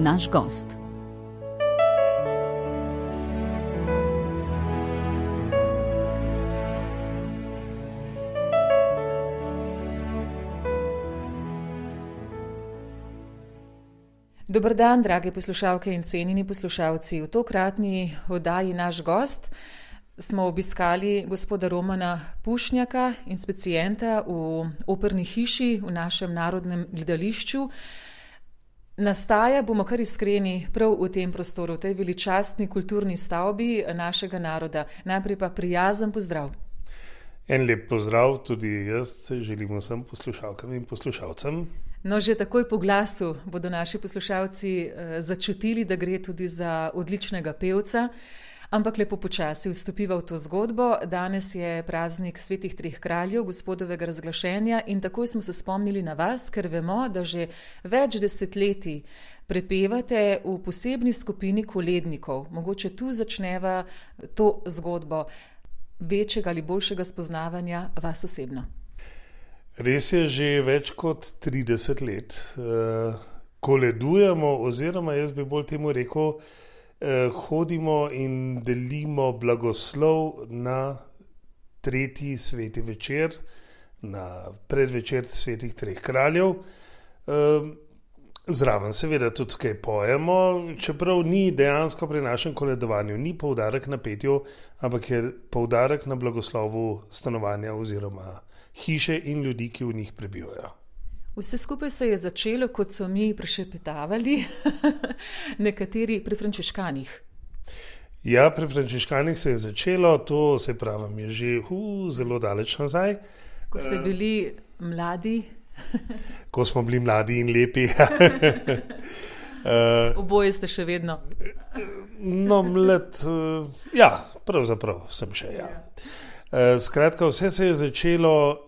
naš gost. Dober dan, drage poslušalke in cenjeni poslušalci. V tokratni oddaji Naš gost smo obiskali gospoda Romana Pušnjaka, inspecienta v Operni hiši v našem narodnem gledališču. Nastaja, bomo kar iskreni, prav v tem prostoru, v tej veličastni kulturni stavbi našega naroda. Najprej pa prijazen pozdrav. En lep pozdrav, tudi jaz se želim vsem poslušalkam in poslušalcem. No, že takoj po glasu bodo naši poslušalci začutili, da gre tudi za odličnega pevca, ampak lepo počasi vstopiva v to zgodbo. Danes je praznik Svetih treh kraljev, gospodovega razglašenja, in takoj smo se spomnili na vas, ker vemo, da že več desetletij prepevate v posebni skupini kolednikov. Mogoče tu začneva to zgodbo večjega ali boljšega spoznavanja vas osebno. Res je, že več kot 30 let koledujemo, oziroma jaz bi bolj temu rekel, hodimo in delimo blagoslov na tretji sveti večer, na predvečer Svetih treh kraljev. Zraven seveda tudi kaj pojemo, čeprav ni dejansko pri našem koledovanju, ni poudarek na petju, ampak je poudarek na blagoslovu stanovanja oziroma hiše in ljudi, ki v njih prebivajo. Vse skupaj se je začelo, kot so mi prešepetavali, nekateri pri frančiškanih. Ja, pri frančiškanih se je začelo, to se pravim je že zelo daleč nazaj. Ko ste bili mladi. Ko smo bili mladi in lepi. Oboje ste še vedno. No, mlad, ja, pravzaprav sem še, ja. Skratka, vse se je začelo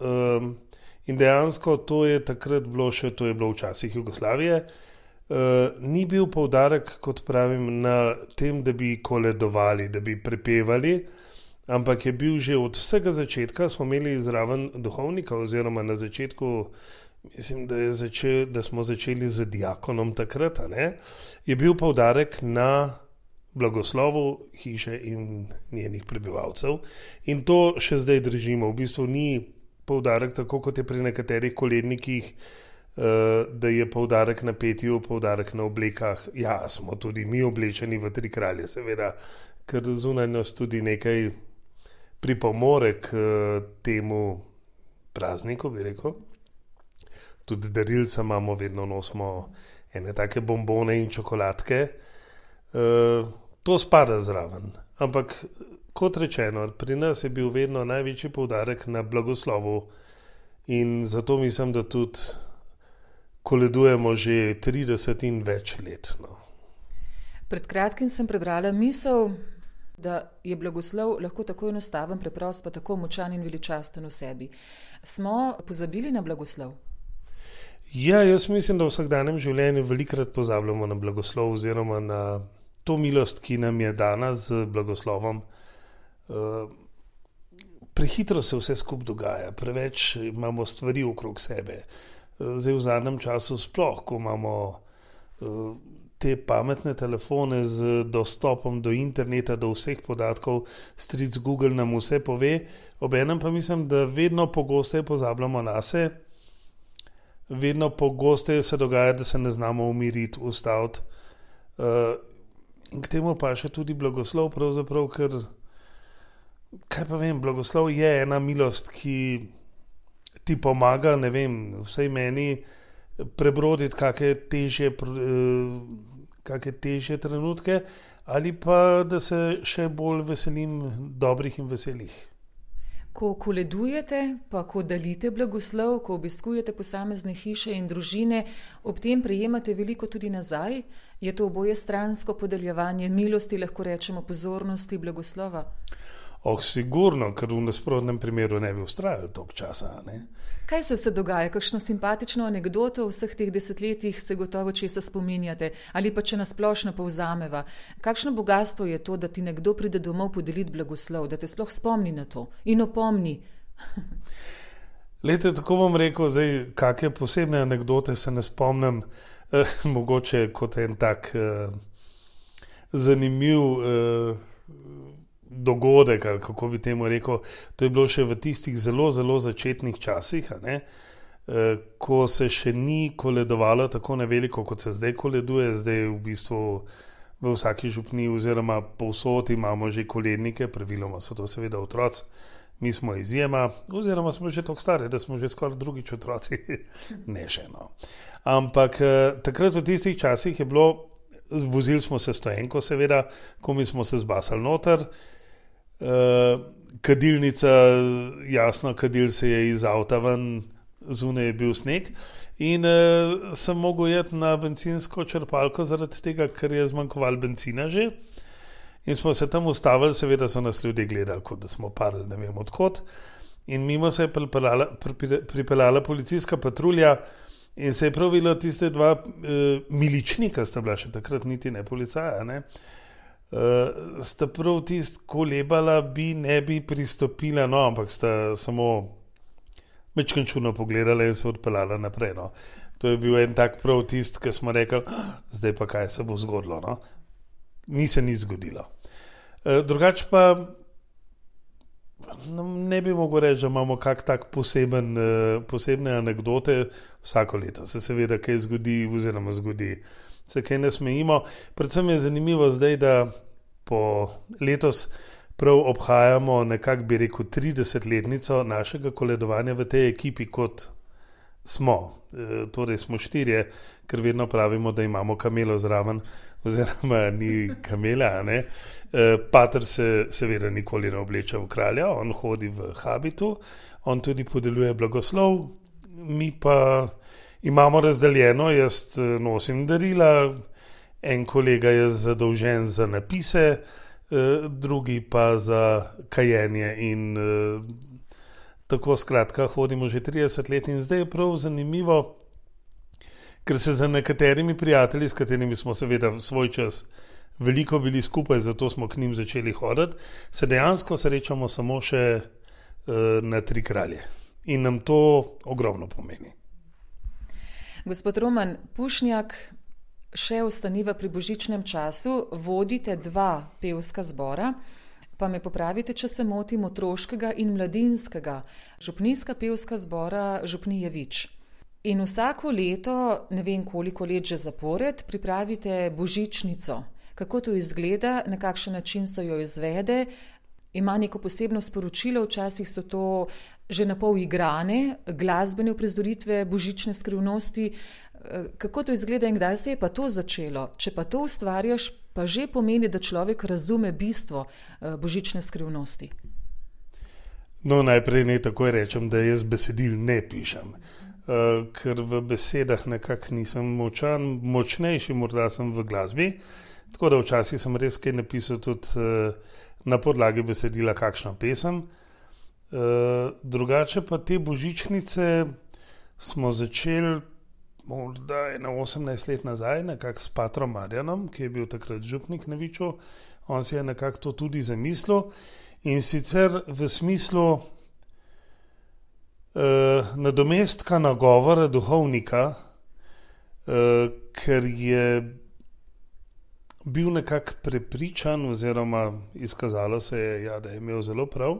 in dejansko to je takrat bilo še, to je bilo v časih Jugoslavije. Ni bil poudarek, kot pravim, na tem, da bi koledovali, da bi prepevali, ampak je bil že od vsega začetka, smo imeli zraven duhovnika oziroma na začetku, mislim, da smo začeli z diakonom takrat, je bil poudarek na blagoslovu hiše in njenih prebivalcev. In to še zdaj držimo. V bistvu ni poudarek tako, kot je pri nekaterih kolednikih, da je poudarek na petju, poudarek na oblekah. Ja, smo tudi mi oblečeni v tri kralje, seveda, ker zunaj nas tudi nekaj pripomore k temu prazniku, bi rekel. Tudi darilca imamo, vedno nosimo ene take bombone in čokoladke. To spada zraven, ampak kot rečeno, pri nas je bil vedno največji poudarek na blagoslovu in zato mislim, da tudi koledujemo že 30 in več let. No. Pred kratkim sem prebrala misel, da je blagoslov lahko tako enostaven, preprost, pa tako močan in veličasten v sebi. Smo pozabili na blagoslov? Ja, jaz mislim, da v vsakdanjem življenju velikokrat pozabljamo na blagoslov oziroma na to milost, ki nam je dana z blagoslovom. Prehitro se vse skupaj dogaja, preveč imamo stvari okrog sebe. Zdaj v zadnjem času sploh, ko imamo te pametne telefone z dostopom do interneta, do vseh podatkov, stric Google nam vse pove, obenem pa mislim, da vedno pogosteje pozabljamo nase, vedno pogosteje se dogaja, da se ne znamo umiriti, ustaviti. In k temu pa še tudi blagoslov, pravzaprav, ker, kaj pa vem, blagoslov je ena milost, ki ti pomaga, ne vem, vsaj meni, prebroditi kakšne težje trenutke, ali pa da se še bolj veselim dobrih in veselih. Ko koledujete, pa ko delite blagoslov, ko obiskujete posamezne hiše in družine, ob tem prejemate veliko tudi nazaj? Je to oboje stransko podeljevanje milosti, lahko rečemo pozornosti, blagoslova? Sigurno, ker v nasprotnem primeru ne bi vztrajali toliko časa, ne? Kaj se vse dogaja? Kakšno simpatično anekdoto v vseh teh desetletjih se gotovo česa spominjate? Ali pa če nas splošno povzameva? Kakšno bogatstvo je to, da ti nekdo pride domov podeliti blagoslov, da te sploh spomni na to in opomni? Lejte, tako bom rekel, zdaj, kakšne posebne anekdote se ne spomnim. Mogoče kot en tak zanimiv dogodek, ali kako bi temu rekel, to je bilo še v tistih zelo, zelo začetnih časih, ko se še ni koledovalo tako na veliko, kot se zdaj koleduje. Zdaj v bistvu v vsaki župniji oziroma povsod imamo že kolednike, praviloma so to seveda otroci. Mi smo izjema, oziroma smo že tako stari, da smo že skoraj drugič otroci, ne še no. Ampak takrat v tistih časih je bilo, vozili smo se stoenko seveda, ko mi smo se zbasali noter, kadilnica, jasno, kadil se je iz avta ven, zunaj je bil sneg in sem mogel jeti na bencinsko črpalko zaradi tega, ker je zmanjkovalo bencina že. In smo se tam ustavili, seveda so nas ljudje gledali, kot da smo parili, ne vem odkot. In mimo se je pripeljala policijska patrulja in se je prav videla tiste dva miličnika, sta bila še takrat niti ne policaja, sta prav tist kolebala, ne bi pristopila, no, ampak sta samo mečkan čudno pogledala in se odpeljala naprej, no. To je bil en tak prav tist, ki smo rekli, zdaj pa kaj se bo zgodilo, no. Ni se nič zgodilo. Drugače pa ne bi mogel reči, da imamo kak tak posebne anekdote vsako leto. Se seveda kaj zgodi oziroma zgodi. Se kaj ne smejimo. Predvsem je zanimivo zdaj, da po letos prav obhajamo nekako bi rekel 30-letnico našega koledovanja v tej ekipi, kot smo. Torej smo 4, ker vedno pravimo, da imamo kamelo zraven, oziroma ni kamela, Pater se seveda nikoli ne obleče v kralja, on hodi v habitu, on tudi podeljuje blagoslov, mi pa imamo razdeljeno, jaz nosim darila, en kolega je zadolžen za napise, drugi pa za kajenje in tako skratka hodimo že 30 let in zdaj je prav zanimivo, ker se za nekaterimi prijatelji, s katerimi smo seveda svoj čas veliko bili skupaj, zato smo k njim začeli hoditi, se dejansko srečamo samo še na Tri kralje. In nam to ogromno pomeni. Gospod Roman Pušnjak, še ostaniva pri božičnem času, vodite 2 pevska zbora, pa me popravite, če se motim, otroškega in mladinskega, župnijska pevska zbora Župnije Vič. In vsako leto, ne vem koliko let že zapored, pripravite božičnico. Kako to izgleda, na kakšen način se jo izvede, ima neko posebno sporočilo, včasih so to že napol igrane, glasbene uprizoritve božične skrivnosti. Kako to izgleda in kdaj se je pa to začelo? Če pa to ustvarjaš, pa že pomeni, da človek razume bistvo božične skrivnosti. No, najprej naj takoj rečem, da jaz besedil ne pišem. Ker v besedah nekako nisem močnejši, morda sem v glasbi, tako da včasih sem res kaj napisal tudi na podlagi besedila kakšno pesem. Drugače pa te božičnice smo začeli morda 18 let nazaj, nekako s Patrom Marjanom, ki je bil takrat župnik na Viču. On si je nekako to tudi zamislil in sicer v smislu nadomestka nagovora duhovnika, ker je bil nekako prepričan oziroma izkazalo se je, da je imel zelo prav,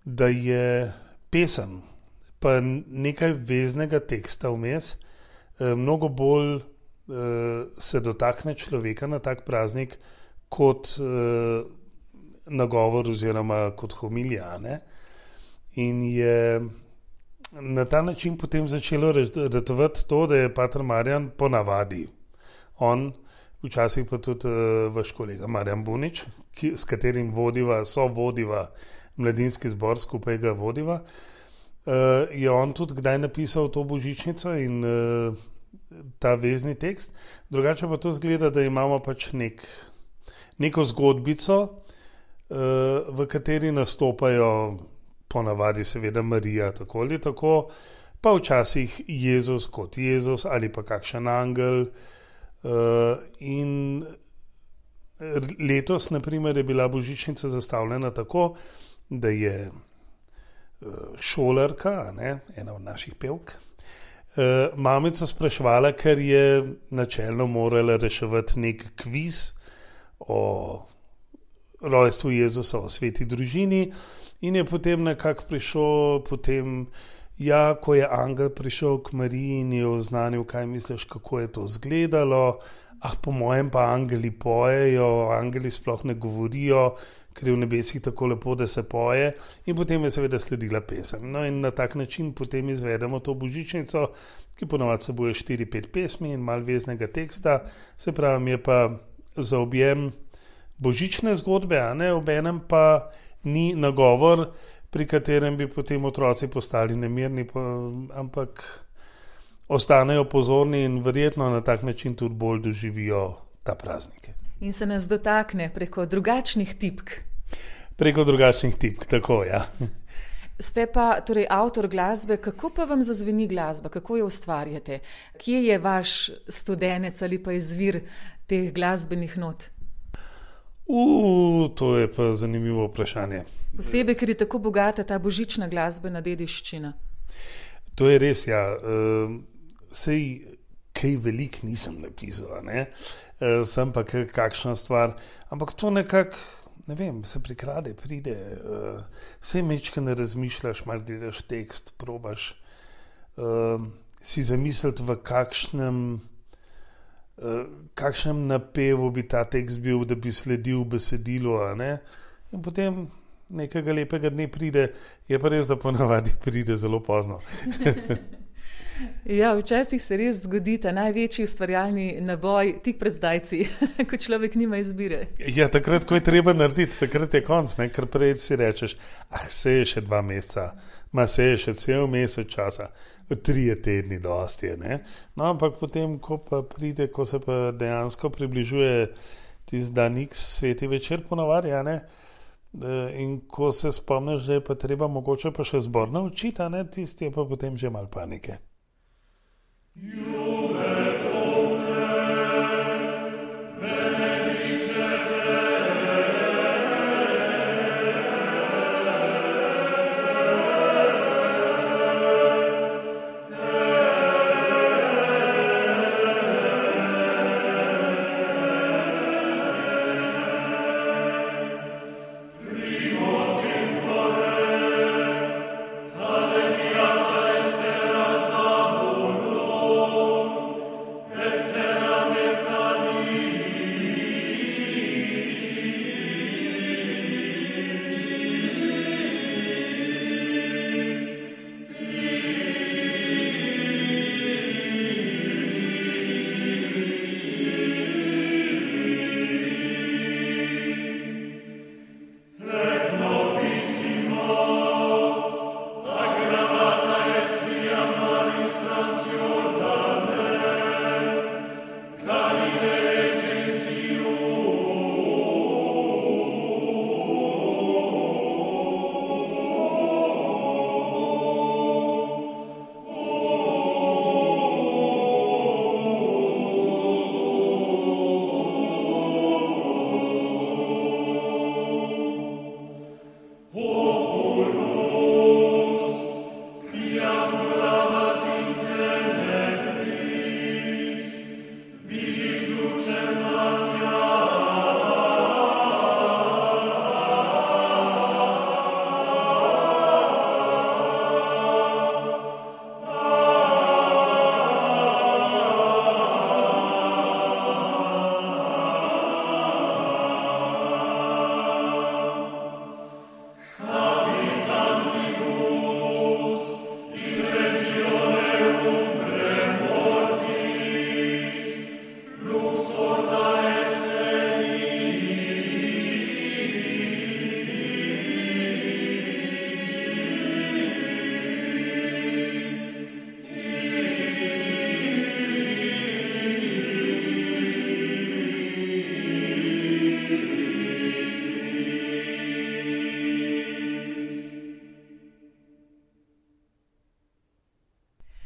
da je pesem pa nekaj veznega teksta vmes mnogo bolj se dotakne človeka na tak praznik kot nagovor oziroma kot homilija, In je na ta način potem začelo ratovati to, da je Pater Marjan ponavadi. On, včasih pa tudi vaš kolega Marjan Bunič, s katerim sovodiva mladinski zbor, skupaj ga vodiva, je on tudi kdaj napisal to božičnico in ta vezni tekst. Drugače pa to zgleda, da imamo pač neko zgodbico, v kateri nastopajo ponavadi seveda Marija, tako ali tako, pa včasih Jezus kot Jezus ali pa kakšen angel. In letos, na primer, je bila božičnica zastavljena tako, da je šolarka, ena od naših pevk, mamico spraševala, ker je načelno morala reševati nek kviz o rojstvu Jezusa v sveti družini in je potem nekako prišel ko je angel prišel k Mariji in je oznanil, kaj misliš, kako je to izgledalo. Po mojem pa angeli pojejo, angeli sploh ne govorijo, ker je v nebesih tako lepo, da se poje. In potem je seveda sledila pesem. No in na tak način potem izvedemo to božičnico, ki ponovadi seboj 4-5 pesmi in malo veznega teksta. Se pravi, je pa za objem božične zgodbe, obenem pa ni nagovor, pri katerem bi potem otroci postali nemirni, ampak ostanejo pozorni in verjetno na tak način tudi bolj doživijo ta praznik. In se nas dotakne preko drugačnih tipk. Preko drugačnih tipk, tako, ja. Ste pa torej avtor glasbe, kako pa vam zazveni glasba, kako jo ustvarjate? Kje je vaš studenec ali pa izvir teh glasbenih not? To je pa zanimivo vprašanje. Posebej, ker je tako bogata ta božična glasbena dediščina. To je res, ja. Sej kaj velik nisem napisal, sem pa kakšna stvar, ampak to nekako, ne vem, se prikrade, pride, sej mečke ne razmišljaš, malo gledaš tekst, probaš si zamisliti, v kakšnem napevu bi ta tekst bil, da bi sledil besedilu, in potem nekega lepega dne pride, je pa res, da ponavadi pride zelo pozno. Ja, včasih se res zgodi ta največji ustvarjalni naboj tik pred zdajci, ko človek nima izbire. Ja, takrat, ko je treba narediti, takrat je konc, ker prej si rečeš, se je še 2 meseca, se je še cel mesec časa, 3 tedni dosti je, No, ampak potem, ko pa pride, ko se pa dejansko približuje tisti dan X, sveti večer ponavadi, in ko se spomniš, da je pa treba mogoče pa še zbor naučiti, tisti je pa potem že malo panike.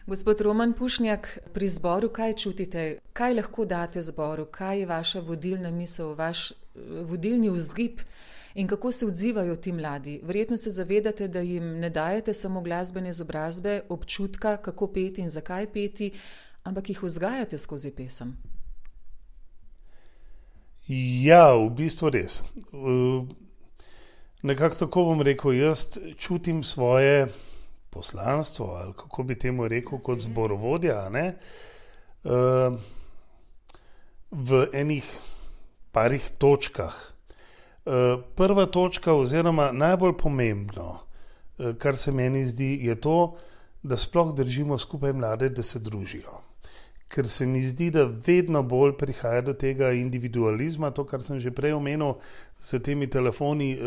Gospod Roman Pušnjak, pri zboru kaj čutite? Kaj lahko date zboru? Kaj je vaša vodilna misel, vaš vodilni vzgib In kako se odzivajo ti mladi? Verjetno se zavedate, da jim ne dajete samo glasbene izobrazbe, občutka, kako peti in zakaj peti, ampak jih vzgajate skozi pesem. Ja, v bistvu res. Nekako tako bom rekel, jaz čutim svoje poslanstvo, ali kako bi temu rekel, kot zborovodja, ne? V enih parih točkah. Prva točka oziroma najbolj pomembno, kar se meni zdi, je to, da sploh držimo skupaj mlade, da se družijo. Ker se mi zdi, da vedno bolj prihaja do tega individualizma, to, kar sem že prej omenil, s temi telefoni,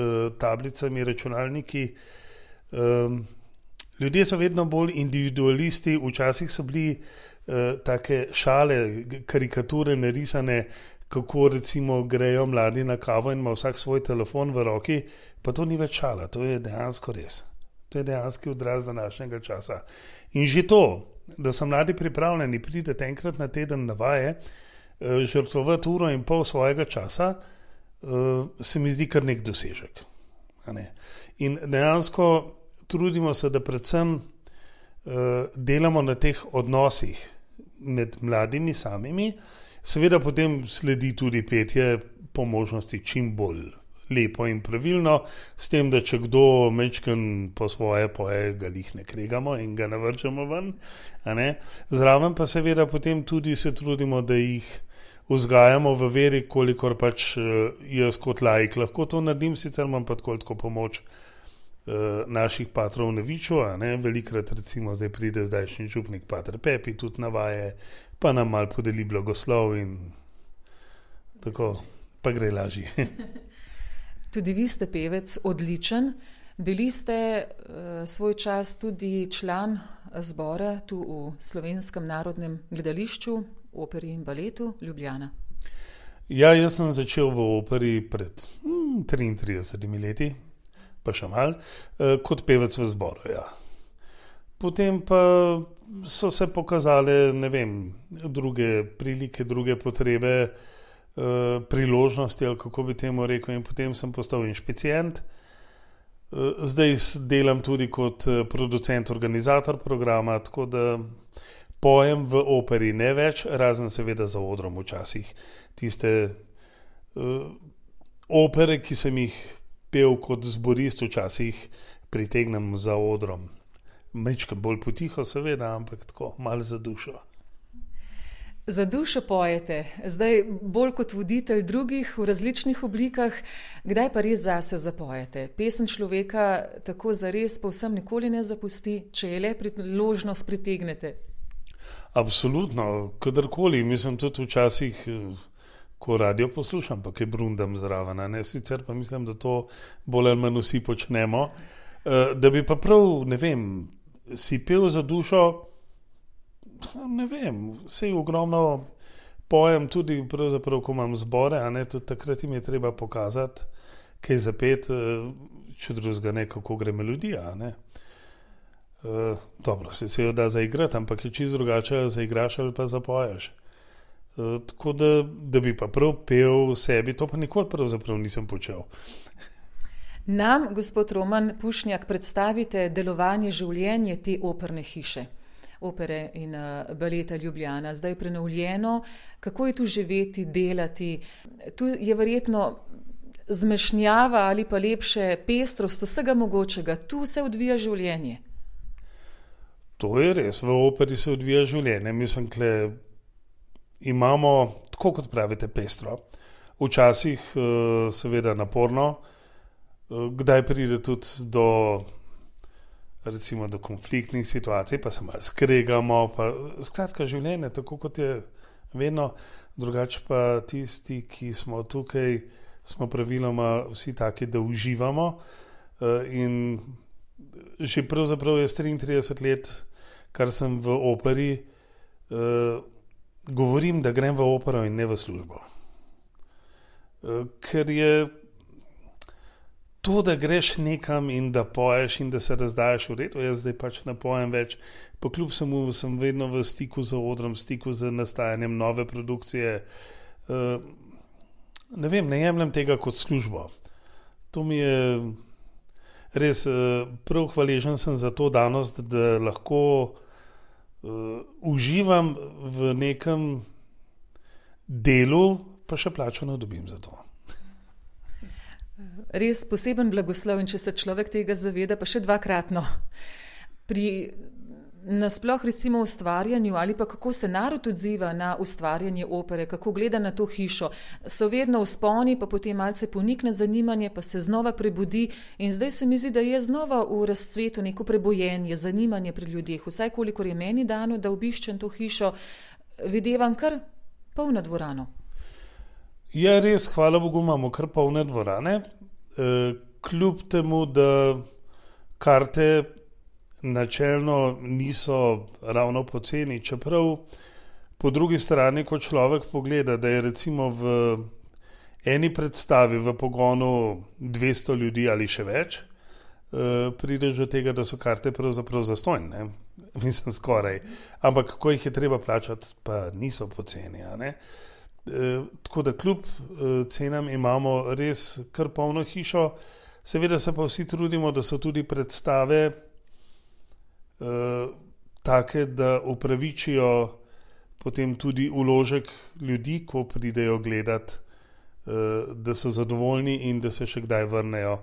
tablicami, računalniki. Ljudje so vedno bolj individualisti, včasih so bili take šale, karikature narisane, kako recimo grejo mladi na kavo in ima vsak svoj telefon v roki, pa to ni več šala, to je dejansko res. To je dejanski odraz današnjega časa. In že to, da so mladi pripravljeni priti enkrat na teden na vaje, žrtvovati 1,5 ure svojega časa, se mi zdi kar nek dosežek. In dejansko trudimo se, da predvsem delamo na teh odnosih med mladimi samimi, seveda potem sledi tudi petje po možnosti čim bolj lepo in pravilno, s tem, da če kdo mečken po svoje poje, ga lih ne kregamo in ga navržemo ven. Zraven pa seveda potem tudi se trudimo, da jih vzgajamo v veri, kolikor pač jaz kot laik lahko to naredim, sicer imam pa tako pomoč naših patrov na Viču, velikrat recimo zdaj pride zdajšnji župnik pater Pepi tudi na vaje, pa nam malo podeli blagoslov in tako, pa gre lažje. Tudi vi ste pevec odličen. Bili ste svoj čas tudi član zbora tu v Slovenskem narodnem gledališču, operi in baletu Ljubljana. Ja, jaz sem začel v operi pred 33 leti, pa še malo, kot pevec v zboru, ja. Potem pa so se pokazale, ne vem, druge prilike, druge potrebe, priložnosti, ali kako bi temu rekel, in potem sem postal inšpicient. Zdaj delam tudi kot producent, organizator programa, tako da pojem v operi ne več, razen seveda za odrom včasih. Tiste opere, ki sem jih pel kot zborist, včasih pritegnem za odrom. Mečkam bolj potiho seveda, ampak tako, malo za dušo. Za dušo pojete, zdaj bolj kot voditelj drugih v različnih oblikah, kdaj pa res zase zapojete? Pesem človeka tako zares povsem nikoli ne zapusti, če je le priložnost pritegnete. Absolutno, kadarkoli, mislim tudi včasih, ko radio poslušam, pa kaj brundam zraven, sicer pa mislim, da to bolj ali manj vsi počnemo, da bi pa prav, ne vem, si pel za dušo. Ne vem, sej ogromno pojem tudi pravzaprav, ko imam zbore, tudi takrat jim je treba pokazati, kaj zapet, če drugega ne, kako gre melodija, Dobro, se jo da zaigrati, ampak je čisto drugače zaigraš ali pa zapoješ. Tako da bi pa prav pel sebi, to pa nikoli pravzaprav nisem počel. Nam, gospod Roman Pušnjak, predstavite delovanje, življenje te operne hiše. Opere in baleta Ljubljana, zdaj prenovljeno. Kako je tu živeti, delati? Tu je verjetno zmešnjava ali pa lepše pestrost vsega mogočega. Tu se odvija življenje. To je res, v operi se odvija življenje. Mislim, da imamo, tako kot pravite, pestro. Včasih seveda naporno, kdaj pride tudi recimo do konfliktnih situacij, pa se malo skregamo, pa skratka življenje, tako kot je vedno, drugače pa tisti, ki smo tukaj, smo praviloma vsi taki, da uživamo, in že pravzaprav je 33 let, kar sem v operi, govorim, da grem v opero in ne v službo. Ker je to, da greš nekam in da poješ in da se razdajaš v redu, jaz zdaj pač ne pojem več, pa kljub samo sem vedno v stiku z odrom, v stiku z nastajanjem nove produkcije. Ne vem, ne jemljem tega kot službo. To mi je res prav hvaležen sem za to danost, da lahko uživam v nekem delu, pa še plačo ne dobim za to. Res poseben blagoslov in če se človek tega zaveda, pa še dvakratno. Pri nasploh recimo ustvarjanju ali pa kako se narod odziva na ustvarjanje opere, kako gleda na to hišo, so vedno vzponi, pa potem malce ponikne zanimanje, pa se znova prebudi in zdaj se mi zdi, da je znova v razcvetu neko prebojenje, zanimanje pri ljudeh. Vsaj kolikor je meni dano, da obiščem to hišo, videvam kar polno dvorano. Ja, res, hvala Bogu, imamo kar polne dvorane. Kljub temu, da karte načelno niso ravno poceni, čeprav po drugi strani, ko človek pogleda, da je recimo v eni predstavi v pogonu 200 ljudi ali še več, prideš do tega, da so karte pravzaprav zastonj, mislim skoraj, ampak ko jih je treba plačati, pa niso poceni, a ne. Tako da kljub cenam imamo res kar polno hišo, seveda se pa vsi trudimo, da so tudi predstave take, da upravičijo potem tudi vložek ljudi, ko pridejo gledati, da so zadovoljni in da se še kdaj vrnejo.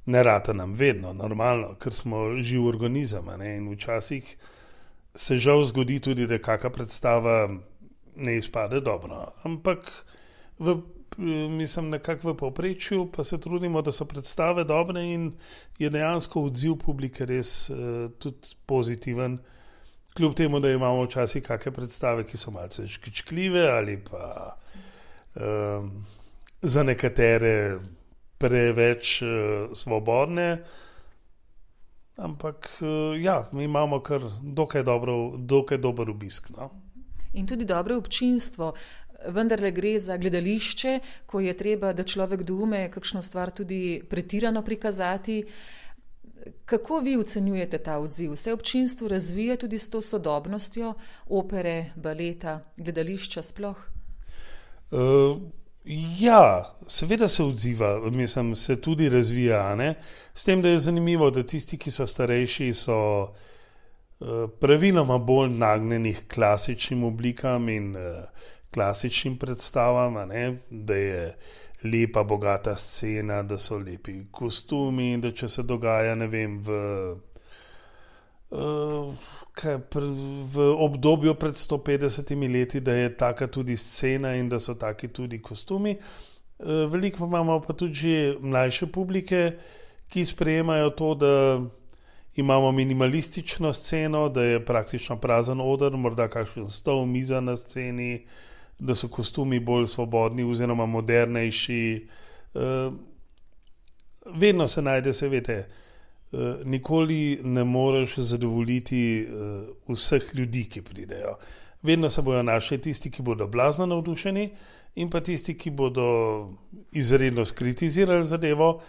Ne rata nam vedno, normalno, ker smo živ organizem, ne? In včasih se žal zgodi tudi, da kakšna predstava ne izpade dobro, ampak mislim nekako v povprečju, pa se trudimo, da so predstave dobre in je dejansko odziv publike res tudi pozitiven, kljub temu, da imamo včasih kakšne predstave, ki so malce škičkljive ali pa za nekatere preveč svobodne, ampak ja, mi imamo kar dokaj dober obisk, no. In tudi dobro občinstvo, vendarle gre za gledališče, ko je treba, da človek doume kakšno stvar tudi pretirano prikazati. Kako vi ocenjujete ta odziv? Se občinstvo razvija tudi s to sodobnostjo opere, baleta, gledališča sploh? Ja, seveda se odziva, mislim, se tudi razvija, ne? S tem, da je zanimivo, da tisti, ki so starejši, so praviloma bolj nagnjenih klasičnim oblikam in klasičnim predstavam, ne? Da je lepa, bogata scena, da so lepi kostumi, da če se dogaja, ne vem, v obdobju pred 150 leti, da je taka tudi scena in da so taki tudi kostumi. Veliko imamo pa tudi že mlajše publike, ki sprejemajo to, da imamo minimalistično sceno, da je praktično prazen oder, morda kakšen stol, miza na sceni, da so kostumi bolj svobodni oziroma modernejši. Vedno se najde, se veste, nikoli ne moreš zadovoljiti vseh ljudi, ki pridejo. Vedno se bojo našli tisti, ki bodo blazno navdušeni in pa tisti, ki bodo izredno skritizirali zadevo.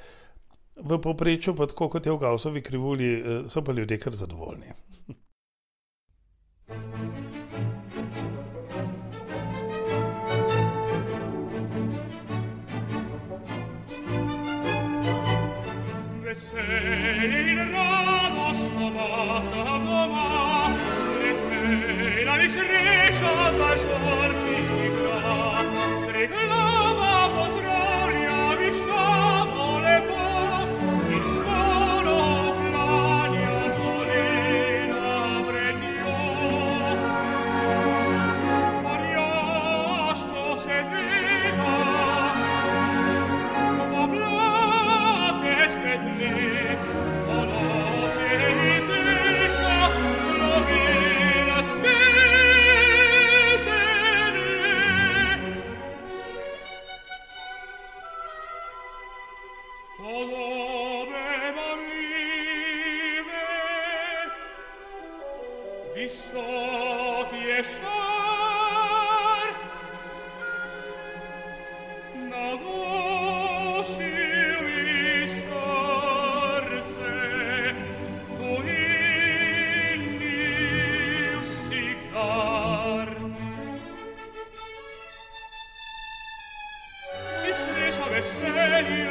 V povprečju pa tako, kot je v Gaussovi krivulji, so pa ljudje kar zadovoljni. Vesel radost obasa doma, respira di sreća za sorci igra, Triglava pozdravlja višamo lepo, in skoro klanja kolena pred njo. Orjaško se dviga, v oblake svetli, ono se indika, slovila veselje,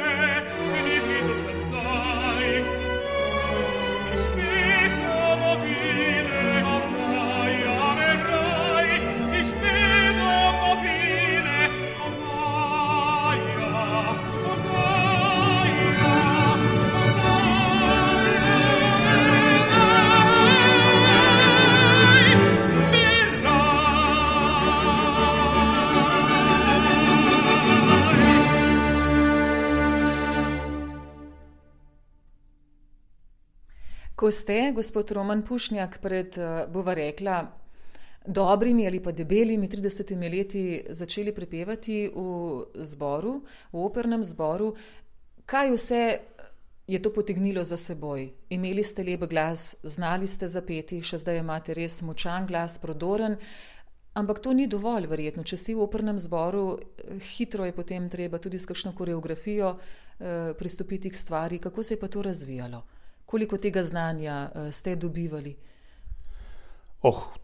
Ko ste, gospod Roman Pušnjak, pred, bova rekla, dobrimi ali pa debelimi 30 leti začeli prepevati v zboru, v opernem zboru, kaj vse je to potegnilo za seboj? Imeli ste lep glas, znali ste zapeti, še zdaj imate res močan glas, prodoren, ampak to ni dovolj verjetno. Če si v opernem zboru, hitro je potem treba tudi s kakšno koreografijo pristopiti k stvari. Kako se je pa to razvijalo? Koliko tega znanja ste dobivali?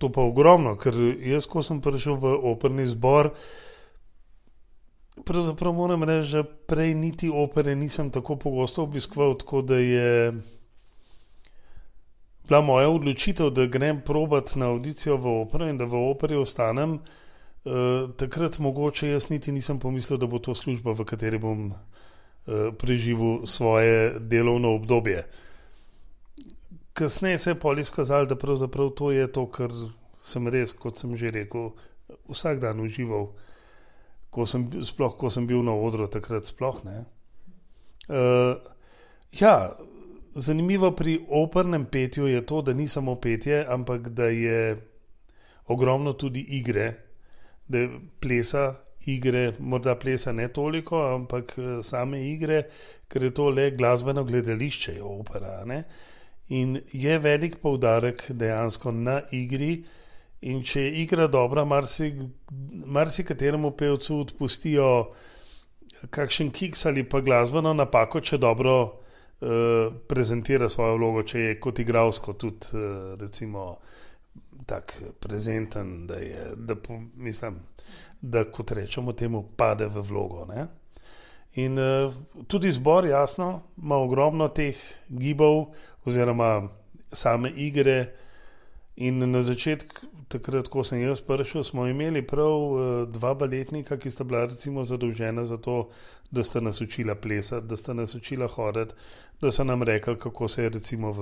To pa ogromno, ker jaz, ko sem prišel v operni zbor, pravzaprav moram reči, že prej niti opere nisem tako pogosto obiskoval, tako da je bila moja odločitev, da grem probat na audicijo v opero in da v operi ostanem. Takrat mogoče jaz niti nisem pomislil, da bo to služba, v kateri bom preživel svoje delovno obdobje. Kasneje se je pol izkazalo, da pravzaprav to je to, kar sem res, kot sem že rekel, vsak dan užival. Ko sem bil na odru, takrat sploh ne. Zanimivo pri opernem petju je to, da ni samo petje, ampak da je ogromno tudi igre, da je plesa, igre, morda plesa ne toliko, ampak same igre, ker je to le glasbeno gledališče, je opera, ne. In je velik poudarek dejansko na igri. In če je igra dobra, marsikateremu pevcu odpustijo kakšen kiks ali pa glasbeno napako, če dobro prezentira svojo vlogo, če je kot igralsko tudi recimo tak prezenten, da kot rečemo temu, pade v vlogo, ne. In tudi zbor, jasno, ima ogromno teh gibov oziroma same igre. In na začetku, takrat, ko sem jaz prišel, smo imeli prav 2 baletnika, ki sta bila recimo zadolžena za to, da sta nas učila plesati, da sta nas učila hoditi, da so nam rekli, kako se je recimo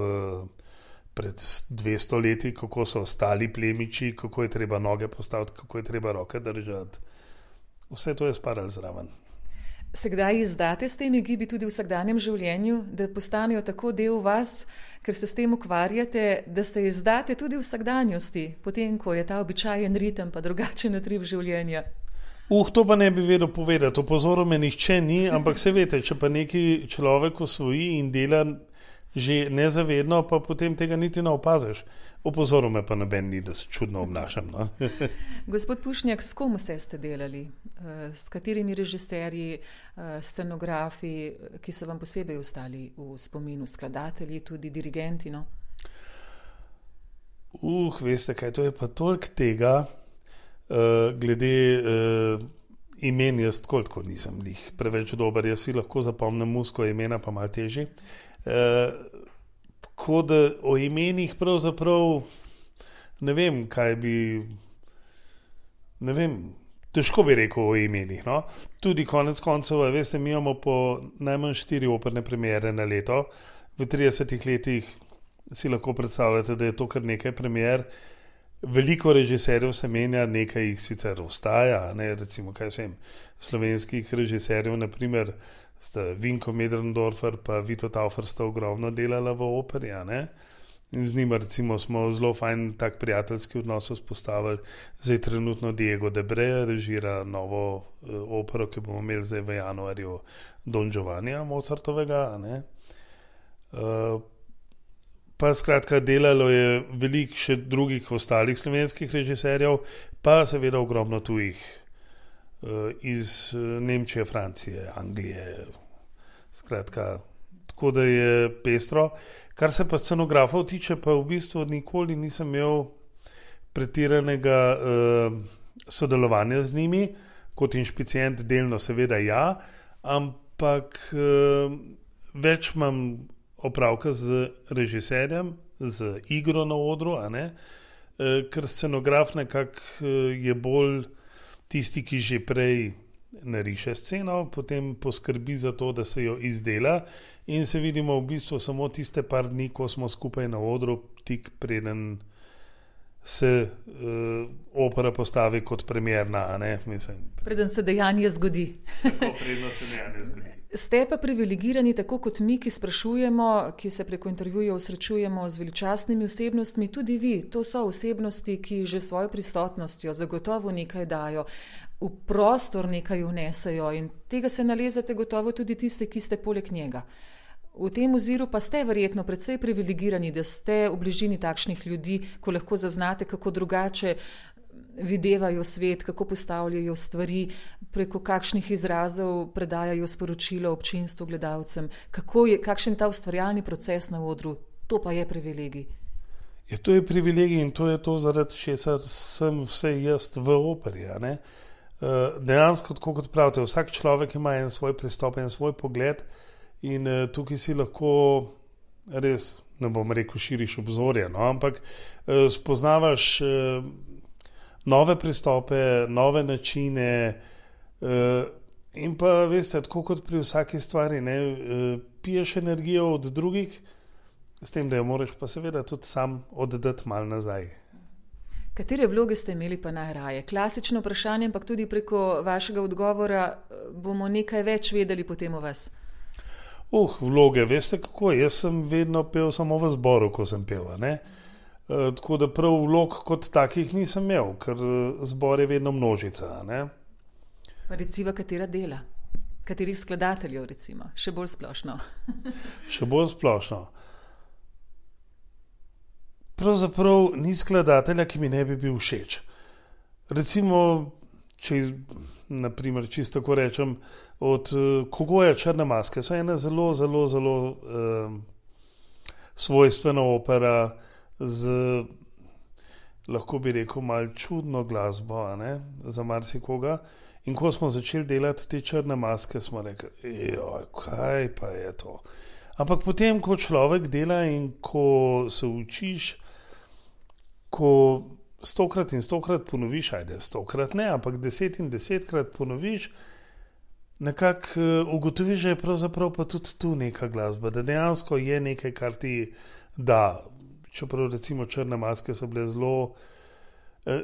pred 200 leti, kako so ostali plemiči, kako je treba noge postaviti, kako je treba roke držati. Vse to je spadalo zraven. Se kdaj izdate s temi gibi tudi v vsakdanjem življenju, da postanejo tako del vas, ker se s tem ukvarjate, da se izdate tudi v vsakdanjosti, potem ko je ta običajen ritem pa drugačen utrip življenja? To pa ne bi vedel povedati, opozoril me nihče ni, ampak se veste, če pa neki človek osvoji in dela že nezavedno, pa potem tega niti ne opaziš. Opozoril me pa noben ni, da se čudno obnašam. No? Gospod Pušnjak, s kom vse ste delali? S katerimi režiserji, scenografi, ki so vam posebej ostali v spominu, skladatelji, tudi dirigenti? No? Veste kaj, to je pa toliko tega, glede imen, jaz tako nisem njih preveč dober, jaz si lahko zapomnim musko imena, pa malo težji. Tako da o imenih pravzaprav ne vem, težko bi rekel o imenih. No? Tudi konec koncev, veste, mi imamo po najmanj 4 operne premiere na leto. V 30 letih si lahko predstavljate, da je to kar nekaj premier. Veliko režiserjev se menja, nekaj jih sicer ostaja, ne? Recimo, slovenskih režiserjev, naprimer, sta Vinko Medrendorfer pa Vito Taufer sta ogromno delala v operi, ne? In z njima recimo smo zelo fajn tak prijateljski odnos vzpostavili. Zdaj trenutno Diego de Breja režira novo opero, ki bomo imeli zdaj v januarju, Don Giovannija Mozartovega, ne? Pa skratka delalo je veliko še drugih ostalih slovenskih režiserjev, pa seveda ogromno tujih, iz Nemčije, Francije, Anglije, skratka, tako da je pestro. Kar se pa scenografov tiče, pa v bistvu nikoli nisem imel pretiranega sodelovanja z njimi, kot inšpicient delno seveda ja, ampak več imam opravka z režiserjem, z igro na odru, a ne? Ker scenograf nekako je bolj tisti, ki že prej nariše sceno, potem poskrbi za to, da se jo izdela in se vidimo v bistvu samo tiste par dni, ko smo skupaj na odru, tik preden se opera postavi kot premierna, a ne? Preden se dejanje zgodi. Tako, preden se dejanje zgodi. Ste pa privilegirani tako kot mi, ki sprašujemo, ki se preko intervjujev srečujemo z veličastnimi osebnostmi, tudi vi. To so osebnosti, ki že svojo prisotnostjo zagotovo nekaj dajo, v prostor nekaj vnesejo in tega se nalezate gotovo tudi tiste, ki ste poleg njega. V tem oziru pa ste verjetno precej privilegirani, da ste v bližini takšnih ljudi, ko lahko zaznate, kako drugače videvajo svet, kako postavljajo stvari, preko kakšnih izrazov predajajo sporočilo občinstvu, gledalcem. Kakšen ta ustvarjalni proces na odru, to pa je privilegij. To je privilegij in to je to, zaradi česar sem vse jaz v operi. Ne? Dejansko, tako kot pravite, vsak človek ima en svoj pristop, en svoj pogled in tukaj si lahko res, ne bom rekel, širiš obzorje, no? Ampak spoznavaš nove pristope, nove načine in pa, veste, tako kot pri vsaki stvari, ne, piješ energijo od drugih, s tem, da jo moraš pa seveda tudi sam oddati malo nazaj. Katere vloge ste imeli pa najraje? Klasično vprašanje, ampak tudi preko vašega odgovora bomo nekaj več vedeli potem o vas. Vloge, veste kako, jaz sem vedno pel samo v zboru, ko sem pel, ne? Tako da prav vlog kot takih nisem imel, ker zbor je vedno množica. Ne? Pa recimo, katera dela? Katerih skladateljev recimo? Še bolj splošno. Še bolj splošno. Pravzaprav ni skladatelja, ki mi ne bi bil všeč. Recimo, če naprimer, čisto tako rečem, od Kogoja Črne maske so ena zelo svojstvena opera, z, lahko bi rekel, malo čudno glasbo, ne, za marsikoga. In ko smo začeli delati te Črne maske, smo rekli, kaj pa je to. Ampak potem, ko človek dela in ko se učiš, ko 100-krat in 100-krat ponoviš, 100-krat ne, ampak 10 in 10-krat ponoviš, nekako ugotoviš, da je pravzaprav pa tudi tu neka glasba, da dejansko je nekaj, kar ti da. Čeprav recimo Črne maske so bile zelo,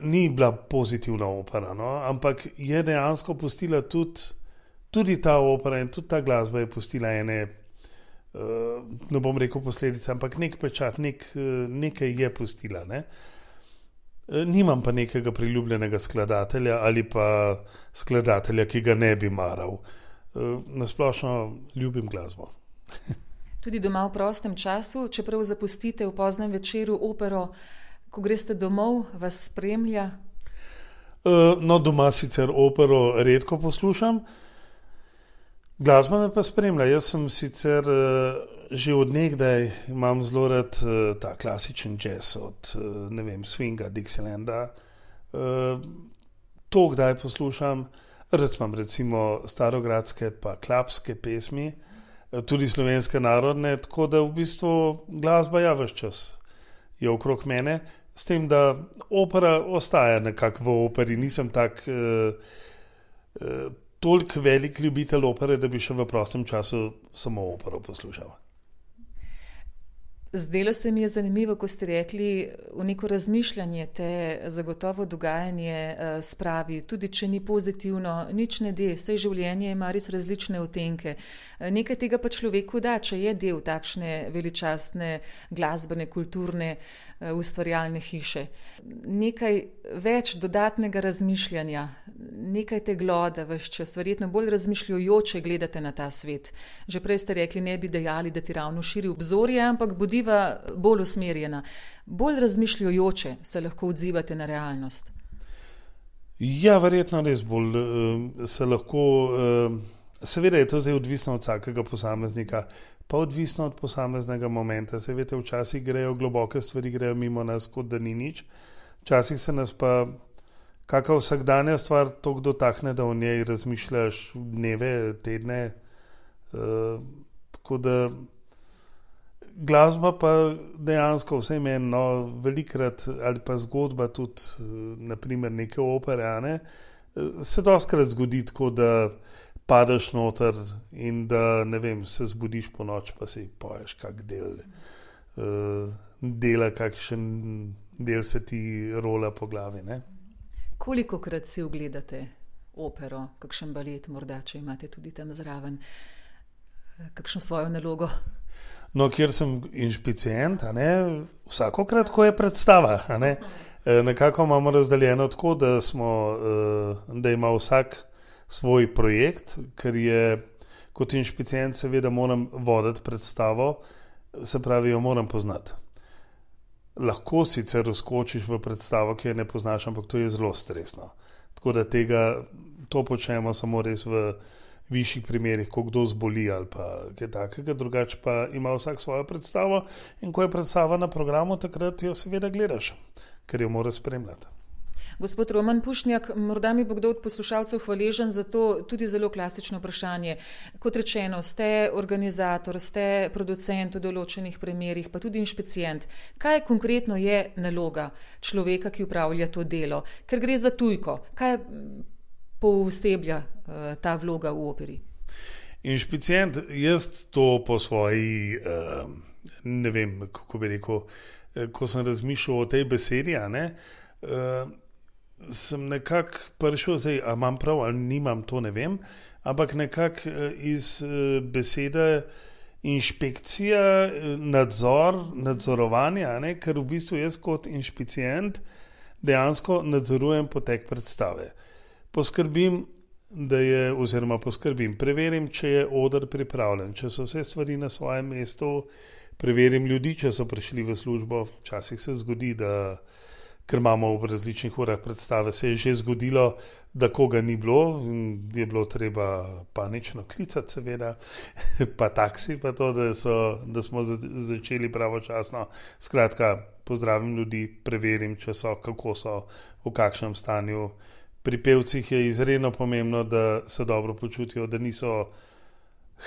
ni bila pozitivna opera, no? Ampak je dejansko pustila tudi ta opera in tudi ta glasba je pustila ene, ne bom rekel posledice, ampak nek pečat, nekaj je pustila. Ne? Nimam pa nekega priljubljenega skladatelja ali pa skladatelja, ki ga ne bi maral. Nasplošno ljubim glasbo. Tudi doma v prostem času, čeprav zapustite v poznem večeru opero, ko greste domov, vas spremlja? No, doma sicer opero redko poslušam, glasba me pa spremlja. Jaz sem sicer že od nekdaj imam zelo rad ta klasičen jazz od, ne vem, swinga, Dixielanda. To kdaj poslušam, rad imam recimo starogradske pa klapske pesmi, tudi slovenske narodne, tako da v bistvu glasba ves čas je okrog mene, s tem, da opera ostaja nekako v operi. Nisem tak toliko velik ljubitelj opere, da bi še v prostem času samo opero poslušal. Zdelo se mi je zanimivo, ko ste rekli, v neko razmišljanje te zagotovo dogajanje spravi, tudi če ni pozitivno, nič ne de, saj življenje ima res različne odtenke. Nekaj tega pa človeku da, če je del takšne veličastne glasbene, kulturne, ustvarjalne hiše. Nekaj več dodatnega razmišljanja, nekaj tegloda ves čas, verjetno bolj razmišljujoče gledate na ta svet. Že prej ste rekli, ne bi dejali, da ti ravno širi obzorje, ampak bodiva bolj usmerjena. Bolj razmišljujoče se lahko odzivate na realnost. Ja, verjetno res bolj se lahko, seveda je to zdaj odvisno od vsakega posameznika, pa odvisno od posameznega momenta. Se veste, včasih grejo globoke stvari, grejo mimo nas, kot da ni nič. Včasih se nas pa kakšna vsakdanja stvar toliko dotakne, da o njej razmišljaš dneve, tedne. Tako da glasba pa dejansko vse meni, no, velikrat ali pa zgodba tudi, naprimer neke opere, ne, se dostikrat zgodi tako, da padeš noter in da, ne vem, se zbudiš po noč, pa si poješ kak del dela, kakšen del se ti rola po glavi, ne. Kolikokrat si ogledate opero, kakšen balet morda, če imate tudi tam zraven? kakšno svojo nalogo? No, kjer sem inšpicient, vsakokrat, ko je predstava, nekako imamo razdeljeno tako, da ima vsak svoj projekt, ker je kot inšpicient seveda moram voditi predstavo, se pravi, jo moram poznati. Lahko sicer vskočiš v predstavo, ki je ne poznaš, ampak to je zelo stresno. Tako da to počnemo samo res v višjih primerih, ko kdo zboli ali pa kaj takega, drugače pa ima vsak svojo predstavo in ko je predstava na programu, takrat jo seveda gledaš, ker jo moraš spremljati. Gospod Roman Pušnjak, morda mi bo kdo od poslušalcev hvaležen za to tudi zelo klasično vprašanje. Kot rečeno, ste organizator, ste producent v določenih primerih, pa tudi inšpicient. Kaj konkretno je naloga človeka, ki upravlja to delo? Ker gre za tujko. Kaj pooseblja ta vloga v operi? Inšpicient, jaz to po svoji, ne vem, kako bi rekel, ko sem razmišljal o tej besedi, sem nekako prišel, zdaj, ali imam prav ali nimam, to ne vem, ampak nekako iz besede inšpekcija, nadzorovanje, ker v bistvu jaz kot inšpicient dejansko nadzorujem potek predstave. Preverim, če je oder pripravljen, če so vse stvari na svojem mestu, preverim ljudi, če so prišli v službo. Včasih se zgodi, ker imamo v različnih urah predstave, se je že zgodilo, da koga ni bilo in je bilo treba panično klicati seveda, pa taksi, pa to, da smo začeli pravočasno. Skratka, pozdravim ljudi, preverim, če so, kako so, v kakšnem stanju. Pri pevcih je izredno pomembno, da se dobro počutijo, da niso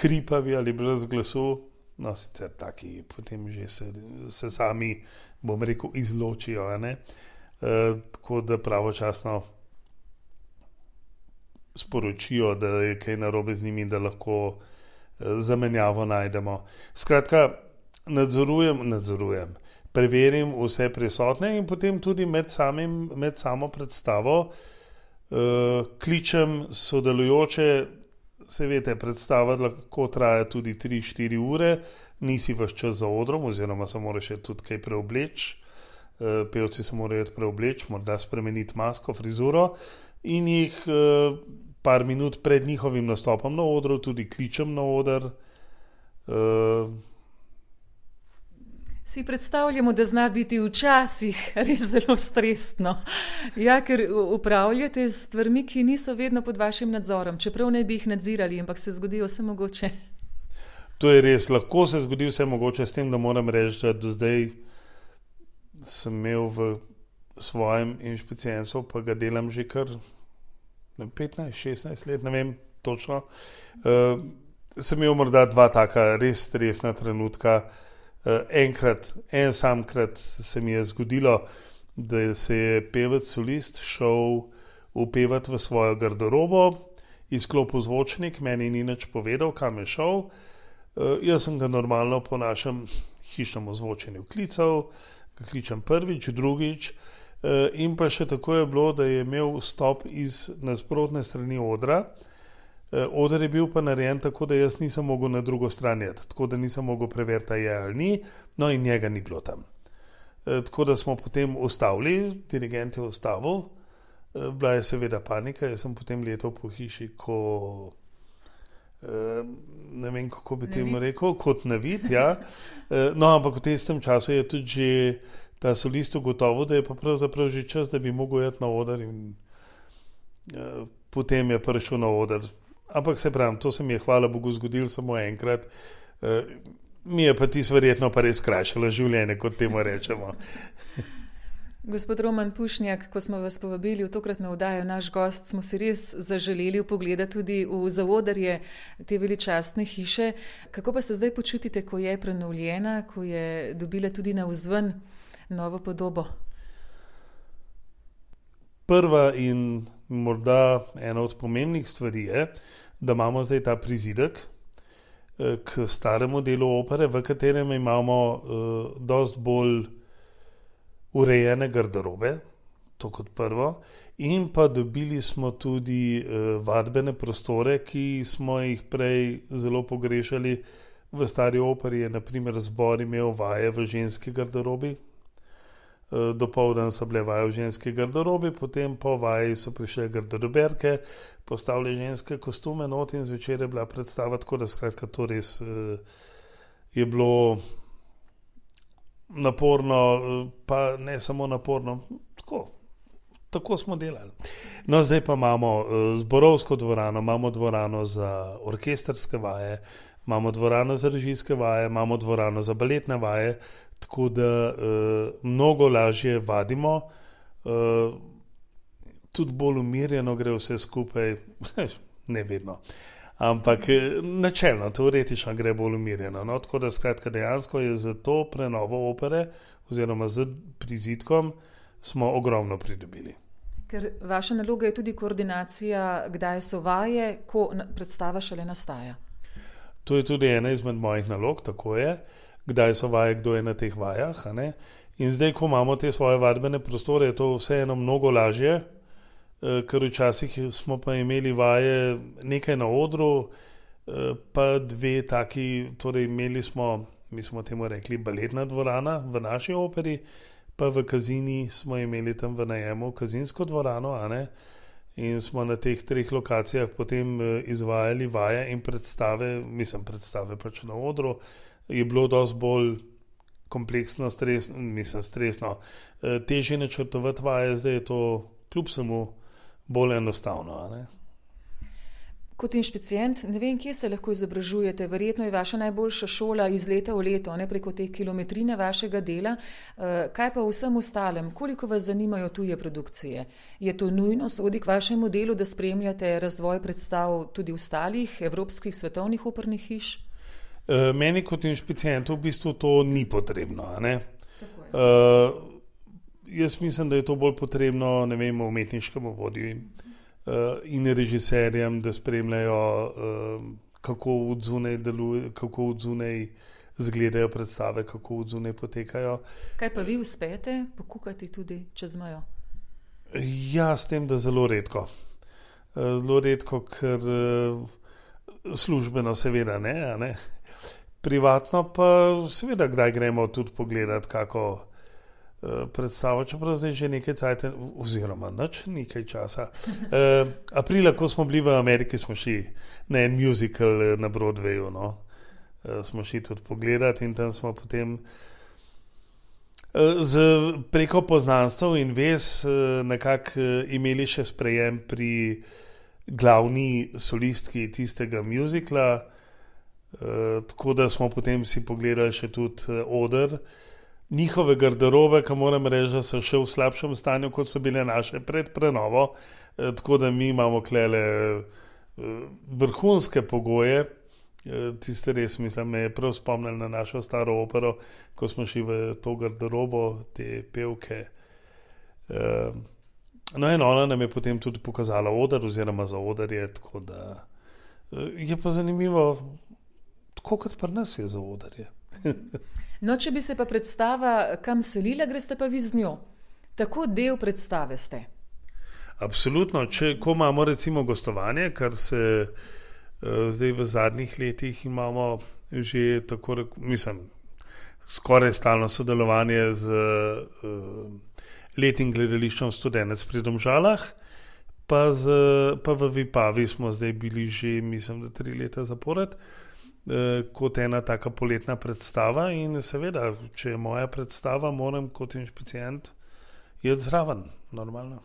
hripavi ali brez glasu. No, sicer taki potem že se sami, bom rekel, izločijo, tako da pravočasno sporočijo, da je kaj narobe z njimi, da lahko zamenjavo najdemo. Skratka, nadzorujem, preverim vse prisotne in potem tudi med samo predstavo kličem sodelujoče. Se veste, predstava lahko traja tudi 3-4 ure, nisi ves čas za odrom, oziroma se moraš tudi kaj preobleči. Pevci se morajo preobleči, morda spremeniti masko, frizuro in jih par minut pred njihovim nastopom na odru tudi kličem na oder. Si predstavljamo, da zna biti včasih res zelo stresno. Ja, ker upravljate s stvarmi, ki niso vedno pod vašim nadzorom, čeprav ne bi jih nadzirali, ampak se zgodi vse mogoče. To je res, lahko se zgodi vse mogoče, s tem, da moram reči, da do zdaj sem imel v svojem inšpicientstvu, pa ga delam že kar 15-16 let, ne vem točno. Sem imel morda 2 taka res stresna trenutka. En samkrat se mi je zgodilo, da se je pevec solist šel upevati v svojo garderobo, izklopil zvočnik, meni ni nič povedal, kam je šel. Jaz sem ga normalno po našem hišnem ozvočenju klical, ga kličem prvič, drugič in pa še tako je bilo, da je imel vstop iz nasprotne strani odra. Oder je bil pa narejen tako, da jaz nisem mogel na drugo stran iti, tako da nisem mogel preveriti, je ali ni, no in njega ni bilo tam. Tako da smo potem ustavili, dirigent je ustavil, bila je seveda panika, jaz sem potem letel po hiši, ne vem, kako bi temu rekel, kot navid, ja. No, ampak v tistem času je tudi že ta solist ugotovil, da je pa pravzaprav že čas, da bi mogel iti na oder in potem je prišel na oder. Ampak se pravim, to se mi je hvala Bogu zgodilo samo enkrat. Mi je pa tisto verjetno pa res skrajšalo življenje, kot temu rečemo. Gospod Roman Pušnjak, ko smo vas povabili v tokratno oddajo Naš gost, smo si res zaželeli vpogledati tudi v zaodrje te veličastne hiše. Kako pa se zdaj počutite, ko je prenovljena, ko je dobila tudi navzven novo podobo? Prva in morda ena od pomembnih stvari je, da imamo zdaj ta prizidek k staremu delu opere, v katerem imamo dosti bolj urejene garderobe. to kot prvo. In pa dobili smo tudi vadbene prostore, ki smo jih prej zelo pogrešali. V Stari operi je naprimer zbor imel vaje v ženski garderobi. Dopoldan so bile vaje v ženski garderobi, potem po vaji so prišle garderoberke, postavili ženske kostume not in zvečer je bila predstava, tako da skratka to res je bilo naporno, pa ne samo naporno, tako smo delali. No, zdaj pa imamo zborovsko dvorano, imamo dvorano za orkestrske vaje, imamo dvorano za režijske vaje, imamo dvorano za baletne vaje, tako da mnogo lažje vadimo, tudi bolj umirjeno gre vse skupaj, ne vedno, ampak načelno, teoretično gre bolj umirjeno. No? Tako da skratka dejansko je za to prenovo opere oziroma z prizidkom smo ogromno pridobili. Ker vaša naloga je tudi koordinacija, kdaj so vaje, ko predstava šele nastaja. To je tudi ena izmed mojih nalog, tako je, kdaj so vaje, kdo je na teh vajah. A ne? In zdaj, ko imamo te svoje vadbene prostore, je to vseeno mnogo lažje, ker včasih smo pa imeli vaje nekaj na odru, pa dve taki, torej imeli smo, mi smo temu rekli baletna dvorana v naši operi, pa v Kazini smo imeli tam v najemu kazinsko dvorano, a ne? In smo na teh 3 lokacijah potem izvajali vaje in predstave pač na odru, je bilo dosti bolj kompleksno, stresno. Težje načrtovati vaje, zdaj je to kljub samo bolj enostavno, a ne? Kot inšpicient, ne vem, kje se lahko izobražujete, verjetno je vaša najboljša šola iz leta v leto, ne preko te kilometrine vašega dela. Kaj pa vsem ostalem? Koliko vas zanimajo tuje produkcije? Je to nujno, sodi k vašemu delu, da spremljate razvoj predstav tudi ostalih evropskih svetovnih opernih hiš? Meni kot inšpicientu v bistvu to ni potrebno, a ne? Jaz mislim, da je to bolj potrebno, ne vem, umetniškemu vodju in režiserjem, da spremljajo, kako odzunaj deluje, kako odzunaj izgledajo predstave, kako odzunaj potekajo. Kaj pa vi uspete pokukati tudi čez mejo? Ja, s tem, da zelo redko. Zelo redko, ker službeno seveda ne. Privatno pa seveda kdaj gremo tudi pogledati kako predstavo, čeprav zdaj že nekaj cajta, oziroma nekaj časa. Aprila, ko smo bili v Ameriki, smo šli na en musical na Broadwayu, no. Smo šli tudi pogledati in tam smo potem preko poznanstv in vez nekako imeli še sprejem pri glavni solistki tistega musicala, tako da smo potem si pogledali še tudi oder. Njihove garderobe, ki moram reči, da so še v slabšem stanju, kot so bile naše pred prenovo, tako da mi imamo klele vrhunske pogoje. Tiste res, mislim, me je prav spomnil na našo staro opero, ko smo šli v to garderobo, te pevke. No in ona nam je potem tudi pokazala oder oziroma za oderje, tako da je pa zanimivo, tako kot pri nas je za oderje. No, če bi se pa predstava kam selila, greste pa vi z njo. Tako del predstave ste. Absolutno. Ko imamo recimo gostovanje, kar se zdaj v zadnjih letih imamo že tako, skoraj stalno sodelovanje z letnim gledališčem Studenec pri Domžalah, pa v Vipavi smo zdaj bili že, mislim, da 3 leta zapored, kot ena taka poletna predstava in seveda, če je moja predstava, moram kot inšpicient iti zraven, normalno.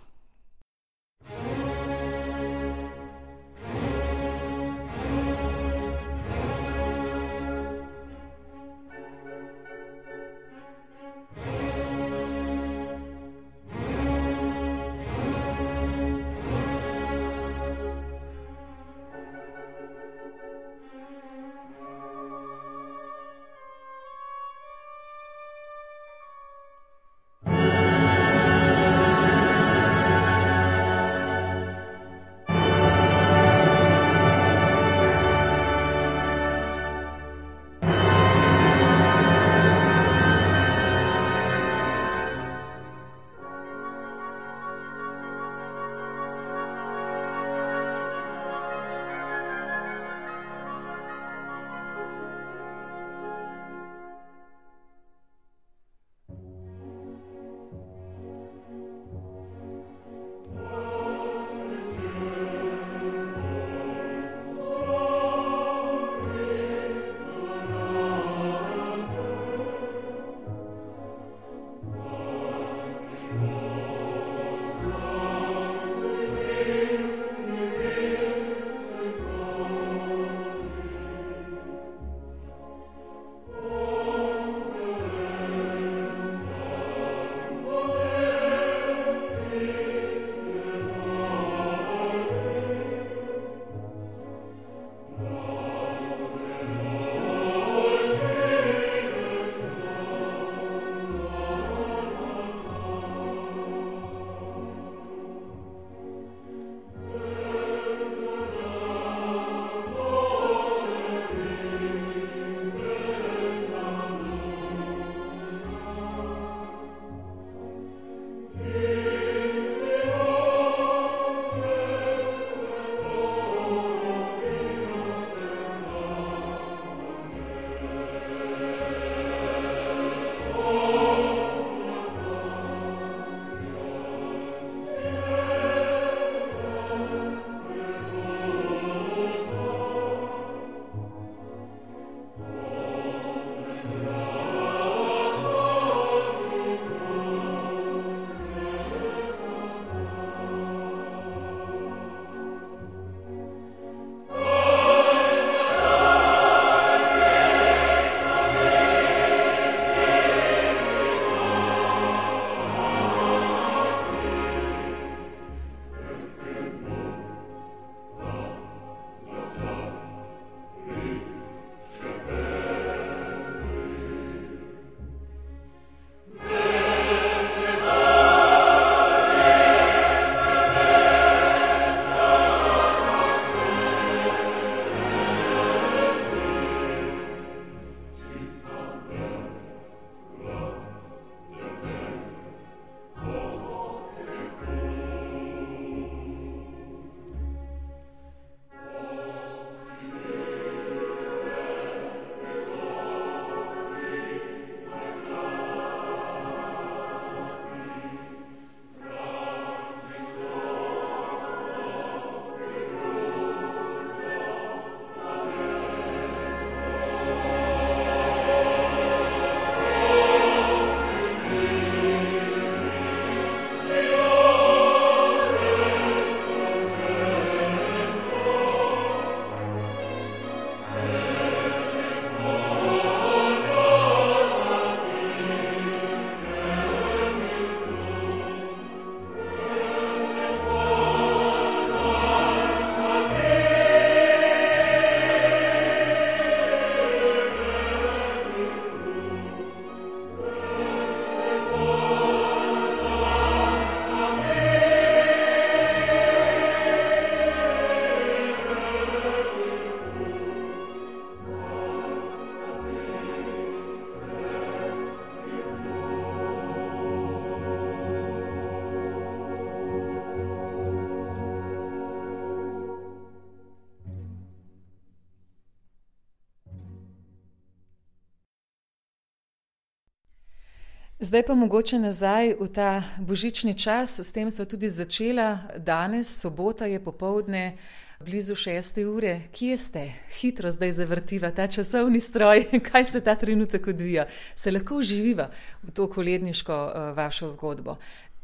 Zdaj pa mogoče nazaj v ta božični čas, s tem sva tudi začela. Danes, sobota je popoldne, blizu 6. ure. Kje ste? Hitro zdaj zavrtiva ta časovni stroj. Kaj se ta trenutek odvija? Se lahko vživiva v to koledniško vašo zgodbo?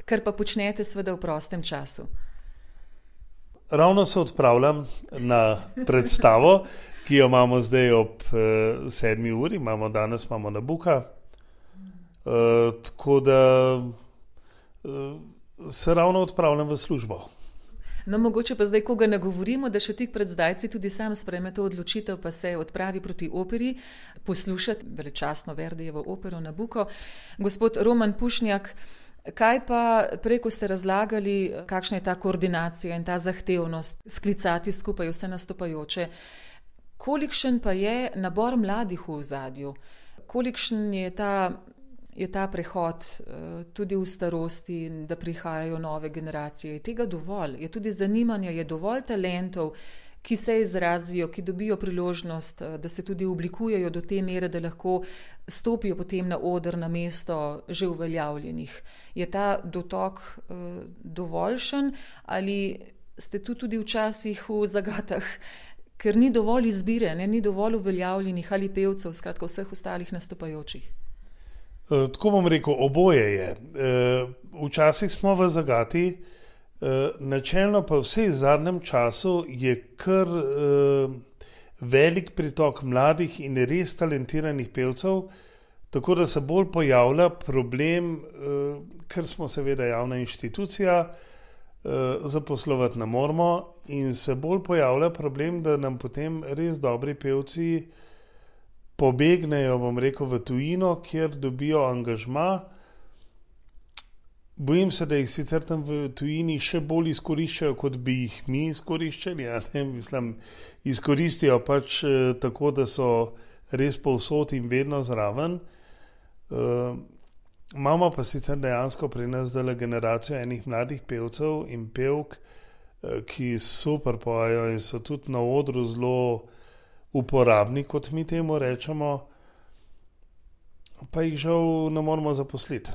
Kar pa počnete seveda v prostem času. Ravno se odpravljam na predstavo, ki jo imamo zdaj ob 7. uri. Danes imamo Nabuka. Tako da se ravno odpravljam v službo. No, mogoče pa zdaj koga nagovorimo, da še tik pred zdajci tudi sam sprejme to odločitev, pa se odpravi proti operi, poslušati veličastno Verdijevo opero Nabuko. Gospod Roman Pušnjak, kaj pa prej, ko ste razlagali, kakšna je ta koordinacija in ta zahtevnost, sklicati skupaj vse nastopajoče, kolikšen pa je nabor mladih v ozadju? Kolikšen je ta prehod tudi v starosti, da prihajajo nove generacije? Je tega dovolj? Je tudi zanimanja, je dovolj talentov, ki se izrazijo, ki dobijo priložnost, da se tudi oblikujejo do te mere, da lahko stopijo potem na oder na mesto že uveljavljenih? Je ta dotok dovoljšen ali ste tu tudi včasih v zagatah, ker ni dovolj izbire, ni dovolj uveljavljenih ali pevcev, skratka vseh ostalih nastopajočih? Tako bom rekel, oboje je. Včasih smo v zagati, načelno pa vse v zadnjem času je kar velik pritok mladih in res talentiranih pevcev, tako da se bolj pojavlja problem, ker smo seveda javna inštitucija, zaposlovati ne moremo, in se bolj pojavlja problem, da nam potem res dobri pevci pobegnejo, bom rekel, v tujino, kjer dobijo angažma. Bojim se, da jih sicer tam v tujini še bolj izkoriščajo, kot bi jih mi izkoriščali. Mislim, izkoristijo pač tako, da so res povsod in vedno zraven. Imamo pa sicer dejansko pri nas zdaj generacijo enih mladih pevcev in pevk, ki super pojejo in so tudi na odru zelo uporabni, kot mi temu rečemo, pa jih žal ne moramo zaposliti.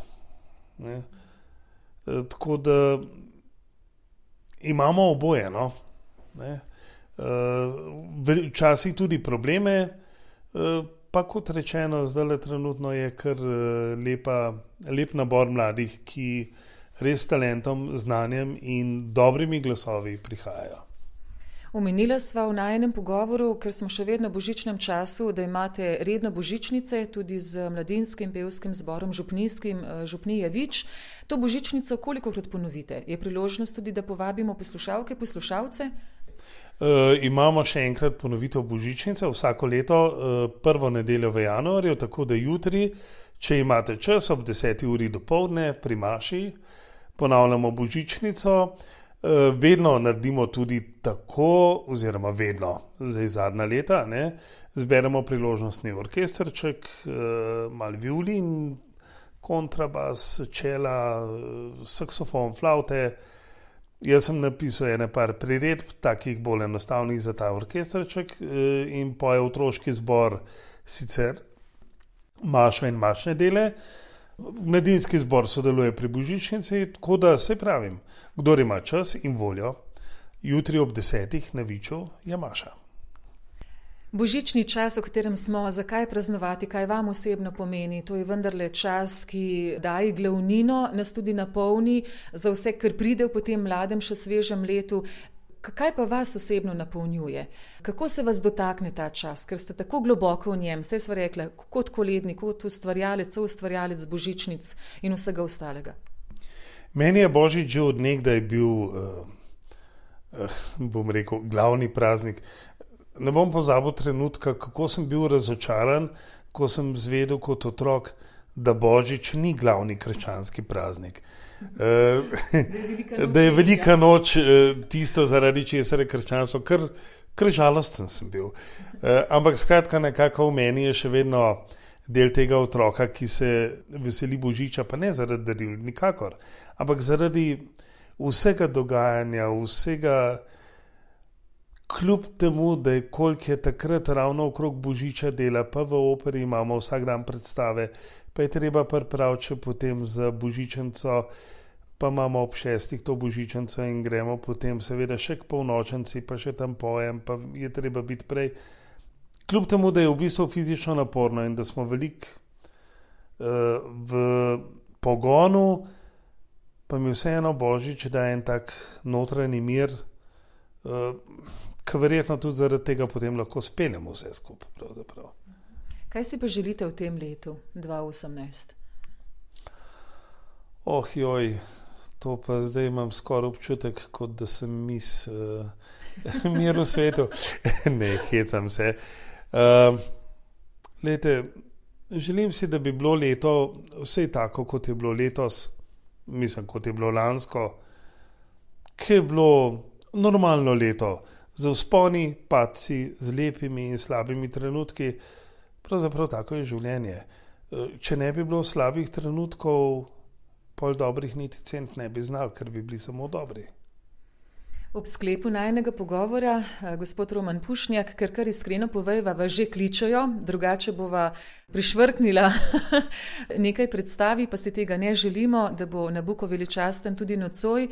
Tako da imamo oboje, no. Včasih tudi probleme, pa kot rečeno, zdaj trenutno je kar lep nabor mladih, ki res s talentom, znanjem in dobrimi glasovi prihajajo. Omenila sva v najinem pogovoru, ker smo še vedno v božičnem času, da imate redno božičnice tudi z mladinskim pevskim zborom župnijskim Župnije Vič. To božičnico kolikokrat ponovite? Je priložnost tudi, da povabimo poslušalke, poslušalce? Imamo še enkrat ponovitev božičnice vsako leto, prvo nedeljo v januarju, tako da jutri, če imate čas, ob 10. uri dopoldne pri maši, ponavljamo božičnico. Vedno naredimo tudi tako, oziroma vedno, zdaj zadnja leta, zberemo priložnostni orkestrček, malo violin, kontrabas, čela, saksofon, flavte. Jaz sem napisal par priredb, takih bolj enostavnih za ta orkestrček, in poje otroški zbor sicer mašo in mašne dele. Mladinski zbor sodeluje pri božičnici, tako da se pravim, kdor ima čas in voljo, jutri ob 10. na Viču je maša. Božični čas, v katerem smo, zakaj praznovati, kaj vam osebno pomeni? To je vendarle čas, ki daje glavnino, nas tudi napolni za vse, kar pride v potem mladem, še svežem letu. Kaj pa vas osebno napolnjuje? Kako se vas dotakne ta čas, ker ste tako globoko v njem, saj sva rekla, kot kolednik, kot ustvarjalec božičnic in vsega ostalega? Meni je Božič že od nekdaj bil, bom rekel, glavni praznik. Ne bom pozabil trenutka, kako sem bil razočaran, ko sem zvedel kot otrok, da Božič ni glavni krščanski praznik. Da je velika noč tisto, zaradi česar je krščanstvo, kar žalosten sem bil. Ampak skratka, nekako v meni je še vedno del tega otroka, ki se veseli Božiča, pa ne zaradi daril, nikakor, ampak zaradi vsega dogajanja, vsega, kljub temu, da je koliko je takrat ravno okrog Božiča dela, pa v operi imamo vsak dan predstave, pa je treba pripraviti še potem za božičnico, pa imamo ob 6 to božičnico in gremo potem seveda še k polnočnici, pa še tam pojem, pa je treba biti prej. Kljub temu, da je v bistvu fizično naporno in da smo veliko v pogonu, pa mi vseeno Božič daje en tak notranji mir, ki verjetno tudi zaradi tega potem lahko speljemo vse skupaj. Pravzaprav. Kaj si pa želite v tem letu 2018? Joj, to pa zdaj imam skoraj občutek, kot da sem mis mir v svetu. Ne, hecam se. Glejte, želim si, da bi bilo leto vse tako, kot je bilo letos, mislim, kot je bilo lansko, ki je bilo normalno leto, z vzponi, padci, z lepimi in slabimi trenutki. Pravzaprav tako je življenje. Če ne bi bilo slabih trenutkov, pol dobrih niti cent ne bi znal, ker bi bili samo dobri. Ob sklepu najinega pogovora, gospod Roman Pušnjak, ker kar iskreno povejva, vas že kličejo, drugače bova prišvrknila nekaj predstavi, pa si tega ne želimo, da bo Nabuko veličasten tudi nocoj.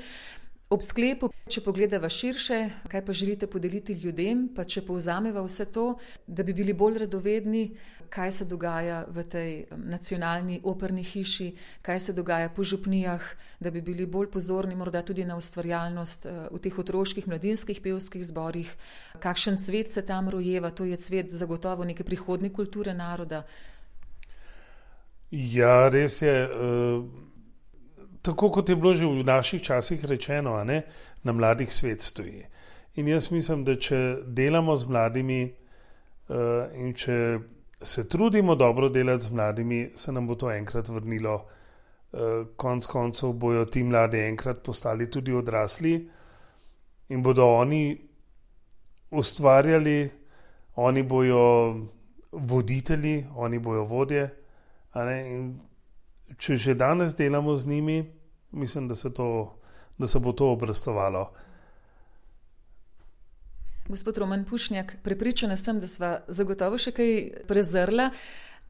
Ob sklepu, če pogledava širše, kaj pa želite podeliti ljudem, pa če povzameva vse to, da bi bili bolj radovedni, kaj se dogaja v tej nacionalni operni hiši, kaj se dogaja po župnijah, da bi bili bolj pozorni morda tudi na ustvarjalnost v teh otroških, mladinskih pevskih zborih, kakšen cvet se tam rojeva, to je cvet zagotovo neke prihodnje kulture naroda. Ja, res je. Tako kot je bilo že v naših časih rečeno, na mladih svet stoji. In jaz mislim, da če delamo z mladimi in če se trudimo dobro delati z mladimi, se nam bo to enkrat vrnilo. Konec koncev bojo ti mladi enkrat postali tudi odrasli in bodo oni ustvarjali, oni bojo voditelji, oni bojo vodje. In če že danes delamo z njimi, mislim, da se bo to obrestovalo. Gospod Roman Pušnjak, prepričana sem, da sva zagotovo še kaj prezrla.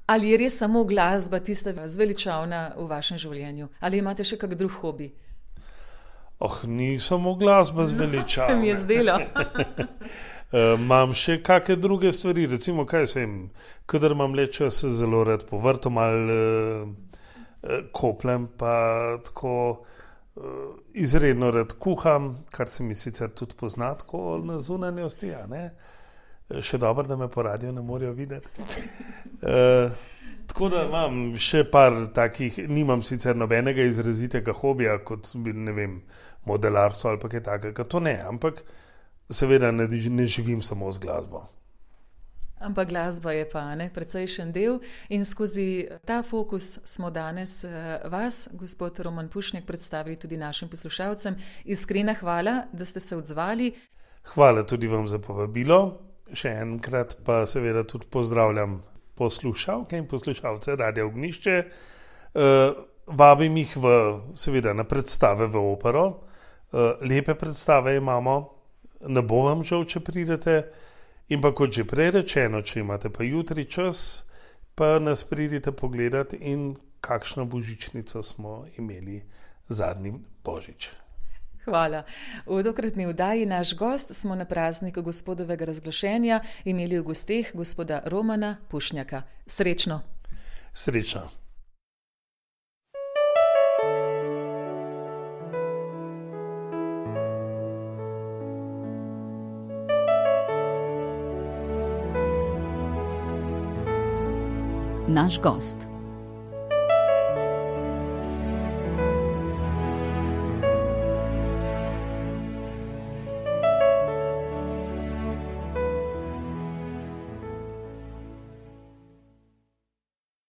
Ali je res samo glasba tista zveličavna v vašem življenju? Ali imate še kak drug hobi? Ni samo glasba zveličavna. Se mi je zdelo. Imam še kakšne druge stvari, recimo, kaj se vem, kadar imam le čas, se zelo rad po vrtu malo koplem, pa tako izredno rad kuham, kar se mi sicer tudi pozna tako na zunanjosti, Še dobro, da me po radiju ne morejo videti. Tako da imam še par takih, nimam sicer nobenega izrazitega hobija, kot bi, ne vem, modelarstvo ali pa kaj takega, to ne, ampak seveda ne živim samo z glasbo. Ampak glasba je pa precejšen del in skozi ta fokus smo danes vas, gospod Roman Pušnjak, predstavili tudi našim poslušalcem. Iskrena hvala, da ste se odzvali. Hvala tudi vam za povabilo. Še enkrat pa seveda tudi pozdravljam poslušalke in poslušalce Radia Ognjišče. Vabim jih seveda na predstave v opero. Lepe predstave imamo, ne bo vam žal, če pridete. In pa kot že prej rečeno, če imate pa jutri čas, pa nas pridite pogledati in kakšno božičnico smo imeli zadnji Božič. Hvala. V tokratni oddaji naš gost smo na prazniku gospodovega razglašenja imeli v gosteh gospoda Romana Pušnjaka. Srečno. Srečno. Naš gost.